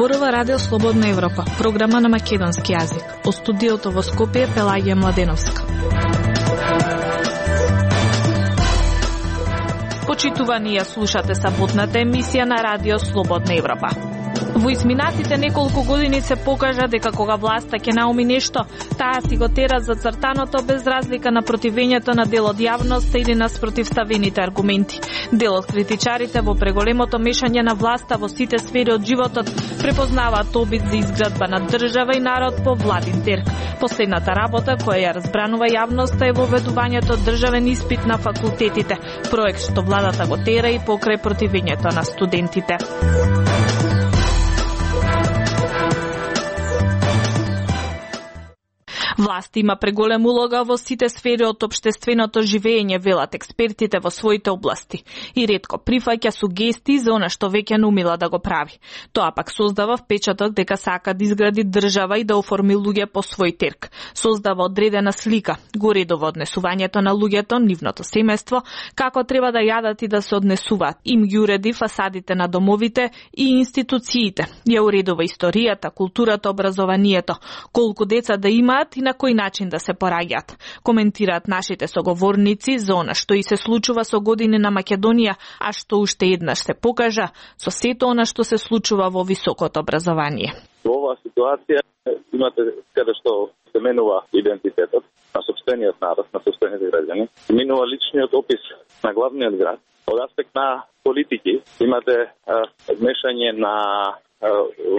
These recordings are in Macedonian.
Зборува Радио Слободна Европа, програма на македонски јазик. Од студиото во Скопје Пелагија Младеновска. Почитувани, ја слушате саботната емисија на Радио Слободна Европа. Во изминатите неколку години се покажа дека кога власта ќе науми нешто, таа си го тера за цртаното без разлика на противењето на дел од јавноста или на спротивставените аргументи. Дел од критичарите во преголемото мешање на власта во сите сфери од животот препознаваат обид за изградба на држава и народ по владин терк. Последната работа која ја разбранува јавноста е воведувањето државен испит на факултетите, проект што владата го тера и покрај противењето на студентите. Власт има преголема улога во сите сфери од општественото живење, велат експертите во своите области, и ретко прифаќа сугестии за она што веќе наумила да го прави. Тоа пак создава впечаток дека сака да изгради држава и да оформи луѓе по свој терк. Создава одредена слика, го редува однесувањето на луѓето, нивното семејство, како треба да јадат и да се однесуваат. Им ги уреди фасадите на домовите и институциите. Ја уредува историјата, културата, образованието, колку деца да имаат и на кој начин да се пораѓаат. Коментираат нашите соговорници за она што и се случува со години на Македонија, а што уште еднаш се покажа со сето она што се случува во високото образование. Во оваа ситуација имате каде што се менува идентитетот на сопствениот народ, на сопствените граѓани, минува личниот опис на главниот град. Од аспект на политики имате мешање на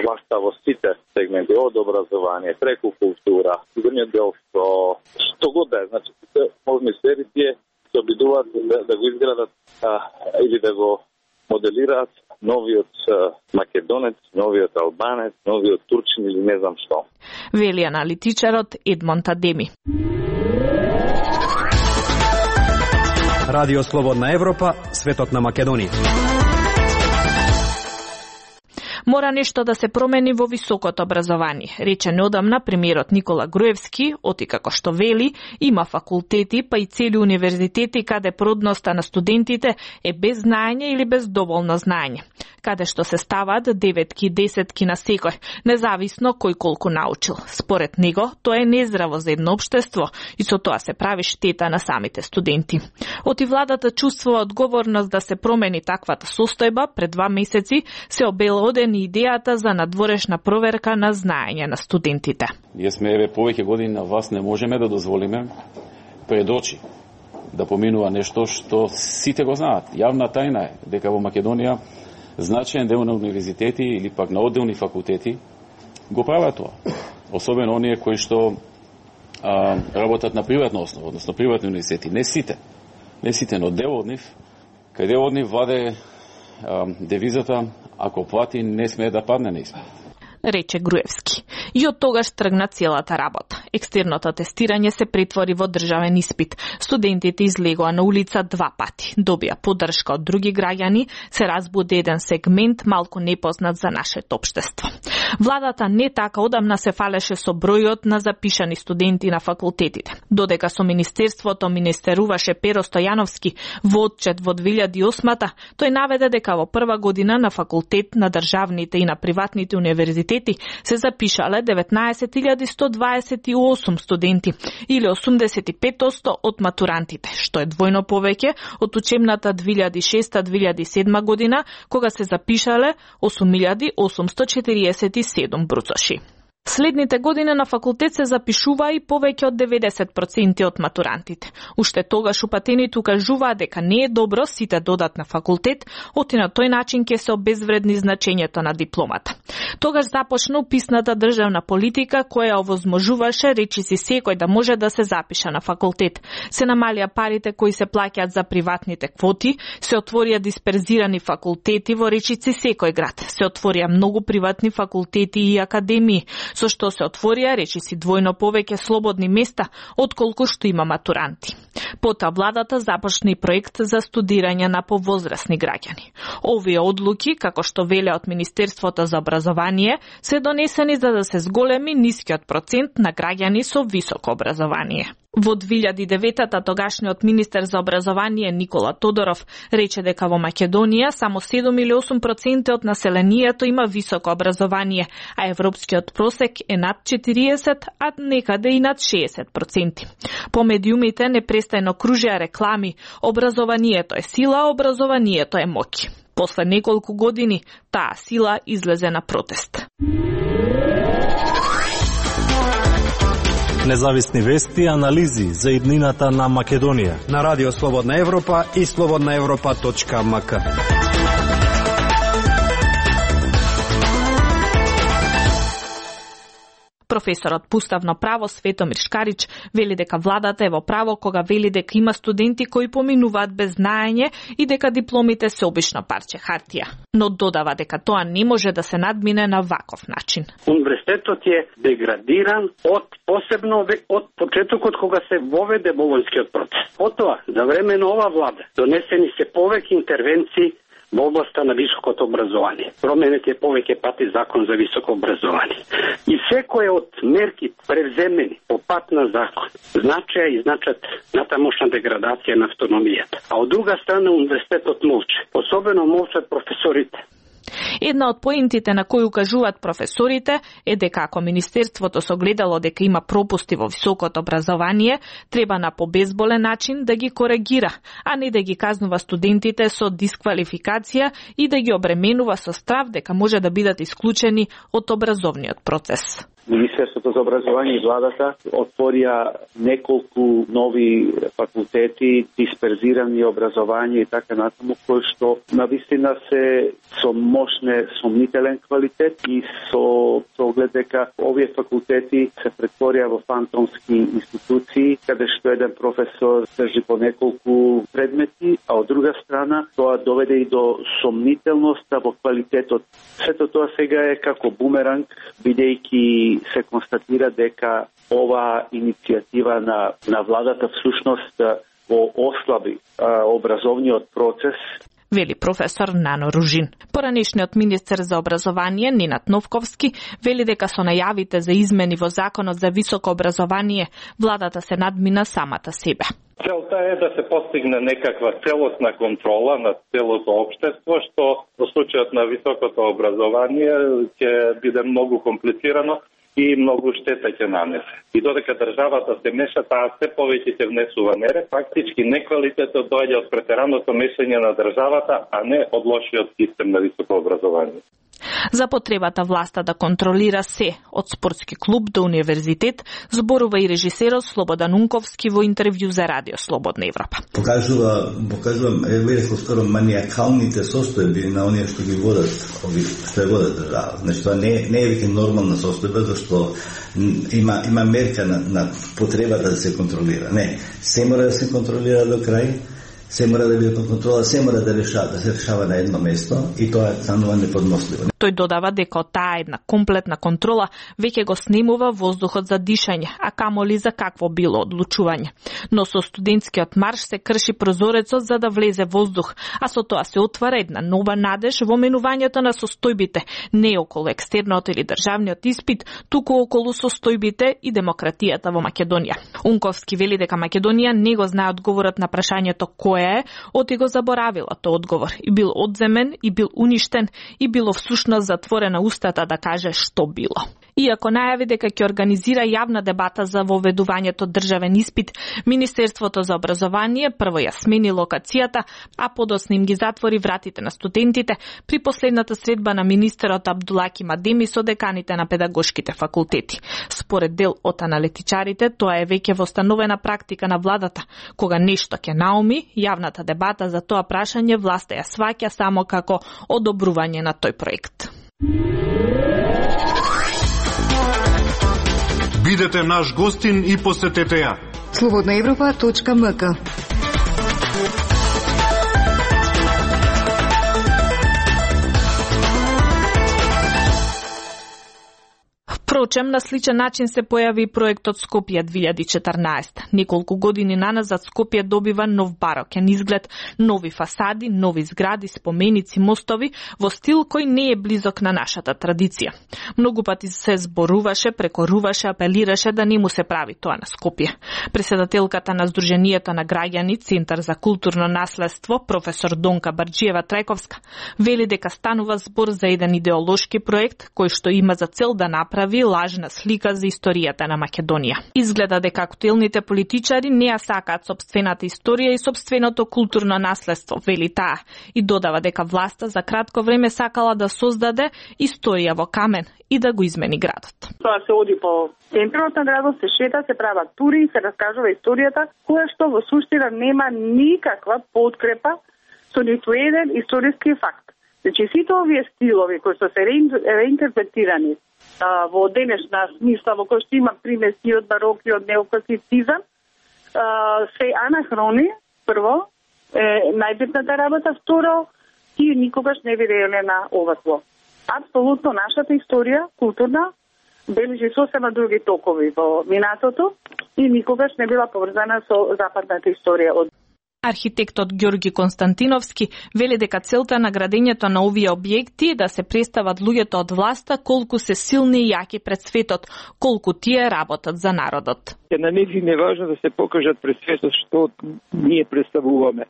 власта во сите сегменти, од образование, преку култура, сигурниот дел што го да е, значи сите можни сфери тие се обидуваат да го изградат или да го моделираат новиот македонец, новиот албанец, новиот турчин или не знам што. Вели аналитичарот Едмонд Адеми. Радио Слободна Европа, светот на Македонија. Мора нешто да се промени во високото образование, рече неодамна премиерот Никола Груевски, оти како што вели, има факултети, па и цели универзитети каде продноста на студентите е без знаење или без доволно знаење, каде што се ставаат 9-ки, 10-ки на секој, независно кој колку научил. Според него, тоа е нездраво за едно општество и со тоа се прави штета на самите студенти. Оти владата чувствува одговорност да се промени таквата состојба. Пред 2 месеци се обелодени идејата за надворешна проверка на знаење на студентите. Ние сме повеќе години на вас, не можеме да дозволиме пред очи да поминува нешто што сите го знаат. Јавна тајна е дека во Македонија значаен дел на универзитети или пак на одделни факултети го прават тоа. Особено оние кои што работат на приватна основа, односно приватни универзитети. Не сите, но дел од нив, кај дел од нив ваде девизата ако плати не смее да падне на испит, рече Груевски. И од тогаш тргна целата работа. Екстерното тестирање се претвори во државен испит. Студентите излегоа на улица 2 пати. Добија поддршка од други граѓани, се разбуди еден сегмент малку непознат за нашето општество. Владата не така одамна се фалеше со бројот на запишани студенти на факултетите. Додека со Министерството министеруваше Перо Стојановски во отчет во 2008-та, тој наведе дека во прва година на факултет на државните и на приватните универзитети се запишале 19.128 студенти или 85% од матурантите, што е двојно повеќе од учебната 2006-2007 година, кога се запишале 8.847 бруцоши. Следните години на факултет се запишува и повеќе од 90% од матурантите. Уште тогаш упатените укажуваа дека не е добро сите додат на факултет, оти на тој начин ќе се обезвредни значењето на дипломата. Тогаш започна уписната државна политика која овозможуваше речиси секој да може да се запише на факултет. Се намалија парите кои се плаќаат за приватните квоти, се отворија дисперзирани факултети во речиси секој град, се отворија многу приватни факултети и академии, со што се отворија речиси двојно повеќе слободни места отколку што има матуранти. Потоа владата започна и проект за студирање на повозрасни граѓани. Овие одлуки, како што веле од Министерството за образование, се донесени за да се зголеми нискиот процент на граѓани со високо образование. Во 2009-та тогашниот министер за образование Никола Тодоров рече дека во Македонија само 7 или 8% од населението има високо образование, а европскиот просек е над 40, а некаде и над 60%. По медиумите непрестајно кружеа реклами: образованието е сила, образованието е моќ. После неколку години таа сила излезе на протест. Независни вести и анализи за иднината на Македонија на Радио Слободна Европа и slobodnaevropa.mk. Професорот по уставно право Светомир Шкарич вели дека владата е во право кога вели дека има студенти кои поминуваат без знаење и дека дипломите се обично парче хартија. Но додава дека тоа не може да се надмине на ваков начин. Универзитетот е деградиран посебно од почетокот кога се воведе болонскиот процес. Потоа, за време на ова влада, донесени се повеќе интервенции во областа на високото образование. Променет е повеќе пати закон за високо образование. И секој од мерки превземени по пат на закон значеа и значат натамошна деградација на автономијата. А од друга страна универзитетот молчи. Особено молчат професорите. Една од поентите на кои укажуваат професорите е дека ако Министерството согледало дека има пропусти во високото образование, треба на побезболен начин да ги коригира, а не да ги казнува студентите со дисквалификација и да ги обременува со страв дека може да бидат исклучени од образовниот процес. Министерството за образование и владата отворија неколку нови факултети, дисперзирани образование и така натаму, кои што навистина се со мощне сомнителен квалитет и со оглед дека овие факултети се претворија во фантомски институции, каде што еден професор држи по неколку предмети, а од друга страна тоа доведе и до сомнителноста во квалитетот. Сето тоа сега е како бумеранг, бидејќи се констатира дека ова иницијатива на владата всушност го ослаби образовниот процес. Вели професор Нано Ружин. Поранешниот министер за образование Ненад Новковски вели дека со најавите за измени во законот за високо образование владата се надмина самата себе. Целта е да се постигне некаква целосна контрола на целото општество, што во случајот на високото образование ќе биде многу комплицирано и многу штета ќе нанесе. И додека државата се меша, таа се повеќе ќе внесува мере, фактички неквалитетот доаѓа од претераното мешање на државата, а не од лошиот систем на високо образование. За потребата власта да контролира се, од спортски клуб до универзитет, зборува и режисерот Слободан Унковски во интервју за Радио Слободна Европа. Покажува скоро маниакалните состојби на оние што ги водат, што ја водат држава. Значи тоа не е веќе нормална состојба, зашто има мерка на потребата да се контролира. Не, се мора да се контролира до крај. Се мора да биде под контрола, се мора да се решава на едно место и тоа станува неподносливо. Тој додава дека таа една комплетна контрола веќе го снемува воздухот за дишање, а камоли за какво било одлучување. Но со студентскиот марш се крши прозорецот за да влезе воздух, а со тоа се отвара една нова надеж во менувањето на состојбите, не околу екстерниот или државниот испит, туку околу состојбите и демократијата во Македонија. Унковски вели дека Македонија не го знае одговорот на прашањето кој е, оти го заборавила тој одговор и бил одземен, и бил уништен, и било всушност затворена устата да каже што било. Иако најави дека ќе организира јавна дебата за воведувањето државен испит, Министерството за образование прво ја смени локацијата, а подоцна им ги затвори вратите на студентите при последната средба на министерот Абдулаки Мадеми со деканите на педагошките факултети. Според дел од аналитичарите, тоа е веќе востановена практика на владата. Кога нешто ќе науми, јавната дебата за тоа прашање власта ја сваќа само како одобрување на тој проект. Бидете наш гостин и посетете ја. slobodnaevropa.mk. Впрочем, на сличен начин се појави проектот Скопје 2014. Неколку години наназад Скопје добива нов барокен изглед, нови фасади, нови згради, споменици, мостови во стил кој не е близок на нашата традиција. Многу пати се зборуваше, прекоруваше, апелираше да не му се прави тоа на Скопје. Председателката на Сдруженијето на граѓани Центар за културно наследство, професор Донка Барџиева-Трајковска, вели дека станува збор за еден идеолошки проект кој што има за цел да направи лажна слика за историјата на Македонија. Изгледа дека актуелните политичари не ја сакаат сопствената историја и сопственото културно наследство, вели таа, и додава дека власта за кратко време сакала да создаде историја во камен и да го измени градот. Тоа се оди по центарот на градот, се шета, се прават тури, се раскажува историјата, која што во суштина нема никаква подкрепа со ниту еден историски факт. Значи, сите овие стилови кои што се реинтерпретирани во денешна смисла, во кој што има примеси од барок и од неокласицизам, се анахрони, прво, најбитната работа, второ, тие никогаш не виделе на ова зло. Апсолутно нашата историја, културна, бележи сосема други токови во минатото и никогаш не била поврзана со западната историја од Архитектот Ѓорги Константиновски вели дека целта на градењето на овие објекти е да се представат луѓето од власта колку се силни и јаки пред светот, колку тие работат за народот. На нивни е важно да се покажат пред светот што ние представуваме.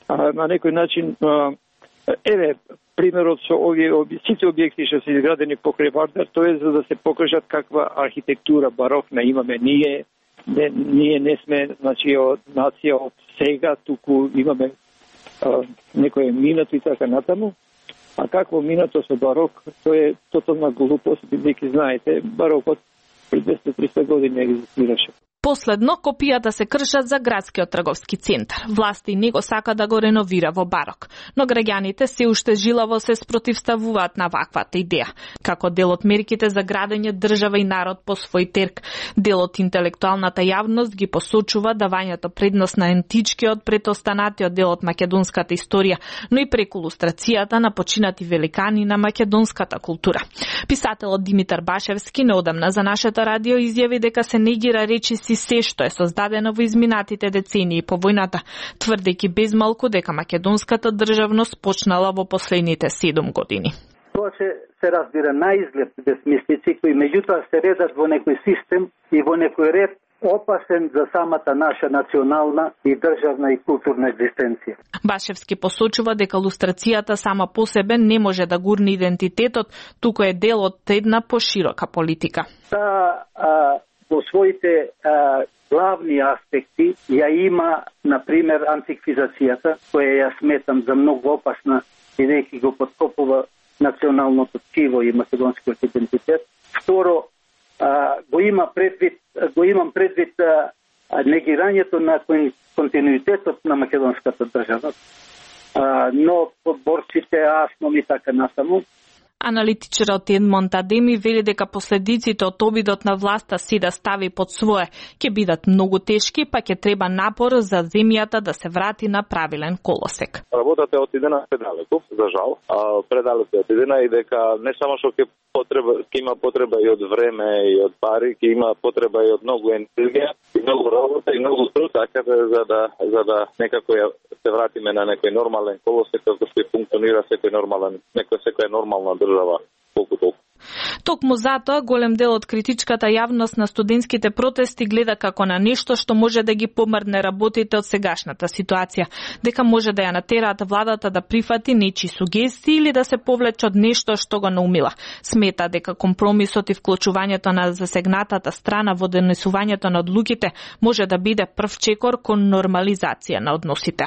На некој начин, примерот со овие сите објекти што се изградени покрај Вардар, тоа е за да се покажат каква архитектура барокна имаме ние. Ние не сме, значи, од нација од сега, туку имаме некој минато и така натаму. А какво минато со барок, тоа е тотална глупост, бидејќи знаете, барокот пред 200-300 години екзистираше. Последно, копијата се кршат за градскиот трговски центар. Власти не го сака да го реновира во барок, но граѓаните се уште жилаво се спротивставуваат на ваквата идеја. Како дел од мерките за градење држава и народ по свој терк, дел од интелектуалната јавност ги посочува давањето предност на античкиот пред останатиот дел од македонската историја, но и преку илустрацијата на починати великани на македонската култура. Писателот Димитар Башевски неодамна за нашето радио изјави дека се негира речиси се што е создадено во изминатите децении по војната, тврдејќи безмалку дека македонската државност почнала во последните 7 години. Тоа се разбира на изглед безмислици кои меѓутоа се редат во некој систем и во некој ред опасен за самата наша национална и државна и културна екзистенција. Башевски посочува дека лустрацијата сама по себе не може да гурне идентитетот, туку е дел од една поширока политика. Во своите главни аспекти ја има, например, антиквизацијата, која ја сметам за многу опасна, бидејќи го подкопува националното тkiво и македонскиот идентитет. Второ, го имам предвид негирањето на континуитетот на македонската држава, но подборците, асном и така насаму. Аналитичарот Едмонд Адеми вели дека последиците од обидот на власта си да стави под свое ќе бидат многу тешки, па ќе треба напор за земјата да се врати на правилен колосек. Работата е отидена предалеку, за жал. Предалеку е отидена и дека не само што ќе има потреба и од време и од пари, ќе има потреба и од многу енергија, и многу работа и многу труд, така за да некако се вратиме на некој нормален колосек како што функционира секоја нормална држава колку толку. Токму затоа голем дел од критичката јавност на студентските протести гледа како на нешто што може да ги помрдне работите од сегашната ситуација, дека може да ја натераат владата да прифати нечии сугестии или да се повлече од нешто што го наумила. Смета дека компромисот и вклучувањето на засегнатата страна во донесувањето на одлуките може да биде прв чекор кон нормализација на односите.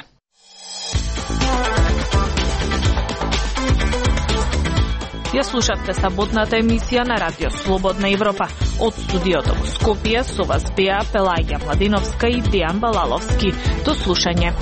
Ја слушавте саботната емисија на Радио Слободна Европа. Од студиото во Скопје со вас беа Пелаѓа Младиновска и Дејан Балаловски. До слушање.